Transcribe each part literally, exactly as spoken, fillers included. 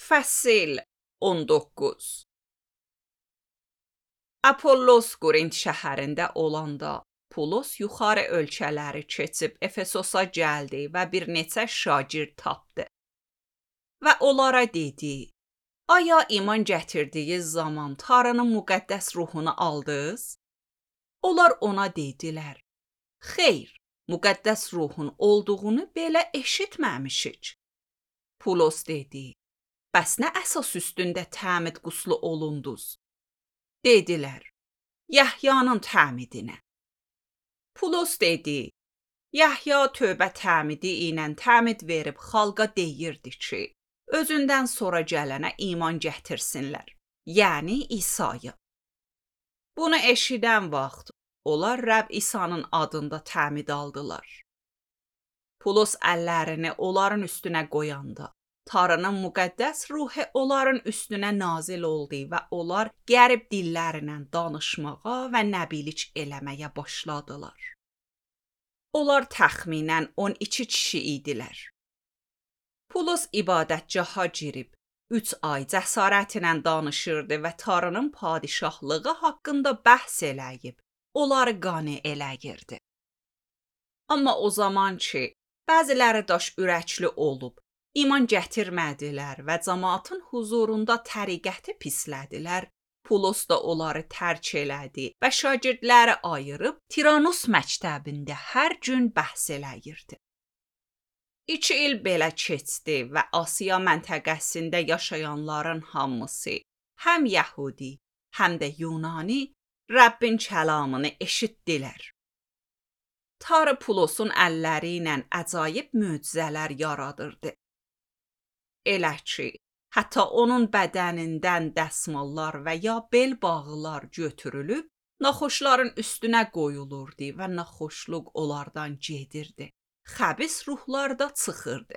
Fəsil on doqquz. Apollos Qorint şəhərində olanda Pulos yuxarı ölkələri keçib Efesosa gəldi və bir neçə şagird tapdı. Və onlara dedi: "Aya iman gətirdiyiniz zaman Tanrının müqəddəs ruhunu aldınız?" Onlar ona dedilər: "Xeyr, müqəddəs ruhun olduğunu belə eşitməmişik." Pulos dedi: "Bəs nə əsas üstündə təmid quslu olunduz?" Dedilər: "Yahyanın təmidinə." Pulos dedi: "Yahya tövbə təmidi ilə təmid verib xalqa deyirdi ki, özündən sonra gələnə iman gətirsinlər, yəni İsa'yı." Bunu eşidən vaxt onlar Rəbb İsa'nın adında təmid aldılar. Pulos əllərini onların üstünə qoyanda Tanrının müqəddəs ruhu onların üstünə nazil oldu və onlar qərib dillərlə danışmağa və nəbilik eləməyə başladılar. Onlar təxminən on iki kişi idilər. Pulos ibadətgaha girib üç ay cəsarətlə danışırdı və Tanrının padişahlığı haqqında bəhs eləyib onları qane eləyirdi. Amma o zaman ki, bəziləri daş ürəkli olub İman gətirmədilər və cəmaatın huzurunda təriqəti pislədilər. Pulos da onları tərk elədi və şagirdləri ayırıb Tiranus məktəbində hər gün bəhs eləyirdi. İki il belə keçdi və Asiya məntəqəsində yaşayanların hamısı, həm Yəhudi, həm də Yunani, Rəbbin kəlamını eşitdilər. Tanrı Pulosun əlləri ilə əcaib möcüzələr yaradırdı. Elə ki, hətta onun bədənindən dəsmallar və ya bel bağlar götürülüb, naxoşların üstünə qoyulurdu və naxoşluq onlardan gedirdi. Xəbis ruhlar da çıxırdı.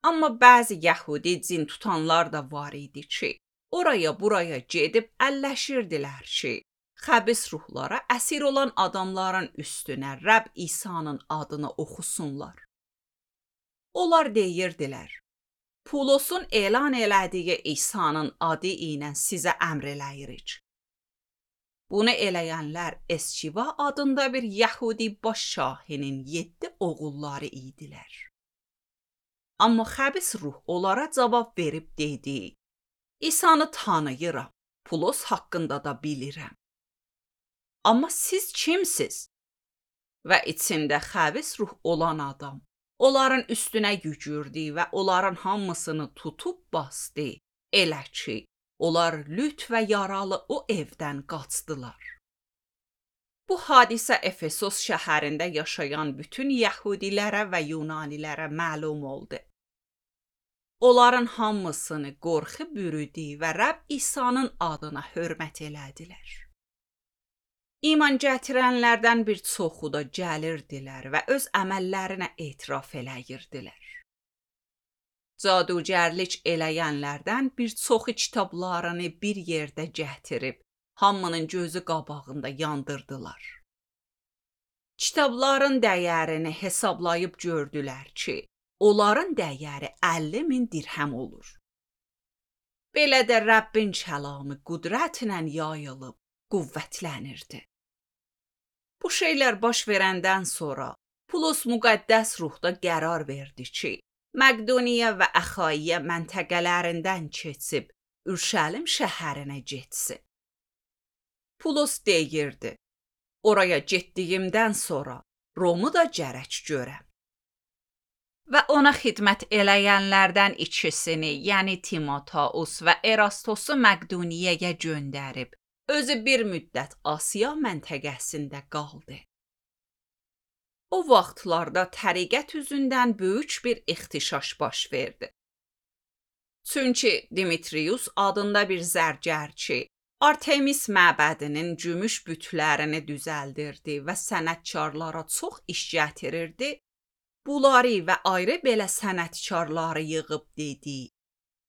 Amma bəzi Yəhudi cin tutanlar da var idi ki, oraya buraya gedib əlləşirdilər ki, xəbis ruhlara əsir olan adamların üstünə Rəbb İsa'nın adını oxusunlar. Onlar deyirdilər: "Pulosun elan elədiyi İsa'nın adı ilə sizə əmr eləyirik." Bunu eləyənlər Eskiva adında bir Yəhudi baş şahinin yeddi oğulları idilər. Amma xəbis ruh onlara cavab verib dedi: "İsa'nı tanıyıram, Pulos haqqında da bilirəm. Amma siz kimsiz?" Və içində xəbis ruh olan adam onların üstünə yüyürdü və onların hamısını tutub basdı. Elə ki, onlar lüt və yaralı o evdən qaçdılar. Bu hadisə Efesos şəhərində yaşayan bütün Yəhudilərə və Yunanilərə məlum oldu. Onların hamısını qorxu bürüdü və Rəbb İsa'nın adına hörmət elədilər. İman gətirənlərdən bir çoxu da gəlirdilər və öz əməllərinə etiraf eləyirdilər. Cadugərlik eləyənlərdən bir çoxu kitablarını bir yerdə gətirib, hamının gözü qabağında yandırdılar. Kitabların dəyərini hesablayıb gördülər ki, onların dəyəri əlli min dirhəm olur. Belə də Rəbbin kəlamı qüdrətlə yayılıb, qüvvətlənirdi. Bu şeylər baş verəndən sonra Pulos müqəddəs ruhda qərar verdi ki, Məqdoniya və Əxaiya məntəqələrindən keçib Ürşəlim şəhərinə getsin. Pulos deyirdi: "Oraya getdiyimdən sonra Romu da gərək görəm." Və ona xidmət eləyənlərdən ikisini, yəni Timoteus və Erastosu Məqdoniyaya göndərib, özü bir müddət Asiya məntəqəsində qaldı. O vaxtlarda təriqət üzündən böyük bir ixtişaş baş verdi. Çünki Dimitrius adında bir zərgərçi Artemis məbədinin gümüş bütlərini düzəldirdi və sənətkarlara çox iş gətirirdi. Bunları və ayrı belə sənətkarları yığıb dedi: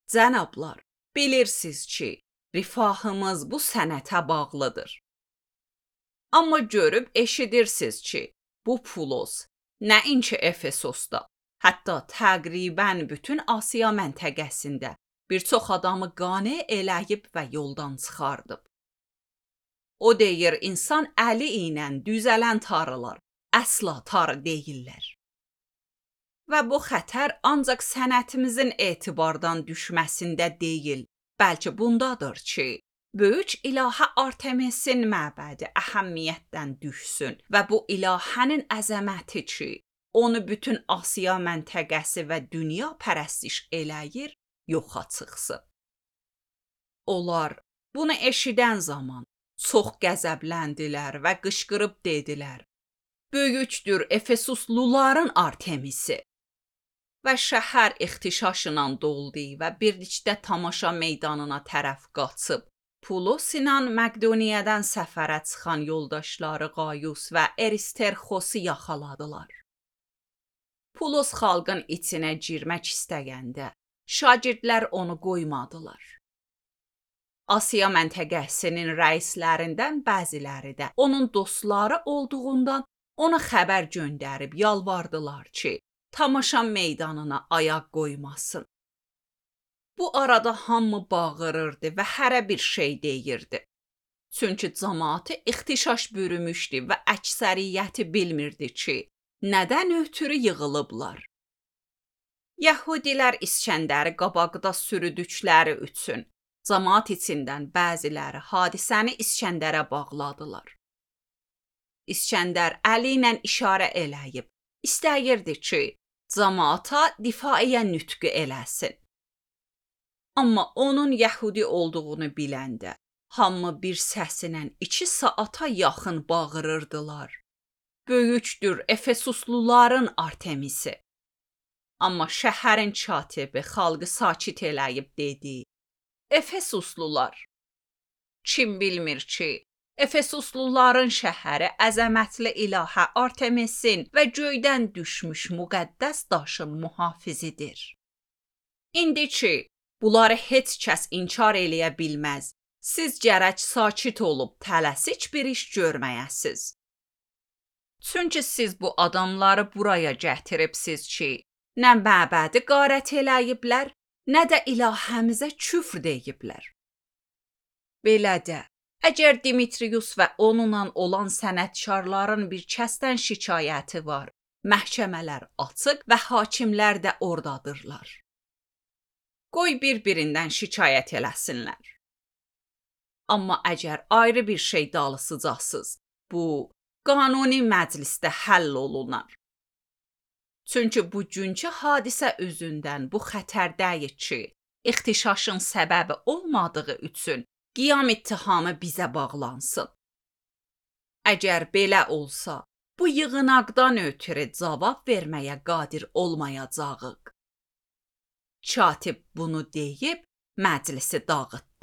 "Cənablar, bilirsiniz ki, rifahımız bu sənətə bağlıdır. Amma görüb eşidirsiniz ki, bu Pulos nəinki Efesosda, Hətta təqribən bütün Asiya məntəqəsində bir çox adamı qane eləyib və yoldan çıxardıb. O deyir, insan əli ilə düzələn tarılar əsla tarı deyillər. Və bu xətər ancaq sənətimizin etibardan düşməsində deyil, bəlkə bundadır ki, böyük ilahə Artemisin məbədi əhəmiyyətdən düşsün və bu ilahənin əzəməti ki, onu bütün Asiya məntəqəsi və dünya pərəstiş eləyir, yoxa çıxsın. Onlar bunu eşidən zaman çox qəzəbləndilər və qışqırıb dedilər: "Böyükdür Efesusluların Artemisi!" Və şəhər ixtişaşla doldu və birlikdə tamaşa meydanına tərəf qaçıb, Pulos ilə Məqdoniyadan səfərə çıxan yoldaşları Qayus və Eristerxosu yaxaladılar. Pulos xalqın içinə girmək istəyəndə, şagirdlər onu qoymadılar. Asiya məntəqəsinin rəislərindən bəziləri də onun dostları olduğundan ona xəbər göndərib yalvardılar ki, tamaşa meydanına ayaq qoymasın. Bu arada hamı bağırırdı və hərə bir şey deyirdi. Çünki cəmaatı ixtişaş bürümüşdü və əksəriyyəti bilmirdi ki, nədən ötürü yığılıblar. Yəhudilər İskəndəri qabaqda sürüdükləri üçün cəmaat içindən bəziləri hadisəni İskəndərə bağladılar. İskəndər əli ilə işarə eləyib, istəyirdi ki, cəmaata difaiyə nütqü eləsin. Amma onun Yəhudi olduğunu biləndə, hamı bir səsinə iki saata yaxın bağırırdılar: "Böyükdür Efesusluların Artemisi!" Amma şəhərin katibi xalqı sakit eləyib dedi: "Efesuslular! Kim bilmir ki, Efesusluların şəhəri əzəmətli ilahə Artemisin və göydən düşmüş müqəddəs daşın mühafizidir. İndi ki, bunları heç kəs inkar eləyə bilməz, siz gərək sakit olub tələsik bir iş görməyəsiz. Çünki siz bu adamları buraya gətiribsiz ki, nə məbədi qarət eləyiblər, nə də ilahəmizə küfr deyiblər. Belə də, əgər Dimitrius və onunla olan sənətkarların bir kəsdən şikayəti var, məhkəmələr açıq və hakimlər də ordadırlar. Qoy bir-birindən şikayət eləsinlər. Amma əgər ayrı bir şey dalısıcaqsız, bu qanuni məclisdə həll olunar. Çünki bugünkü hadisə üzündən bu xətərdəyik ki, ixtişaşın səbəbi olmadığı üçün qiyam ittihamı bizə bağlansın. Əgər belə olsa, bu yığınaqdan ötürü cavab verməyə qadir olmayacağıq. Katib bunu deyib məclisi dağıtdı.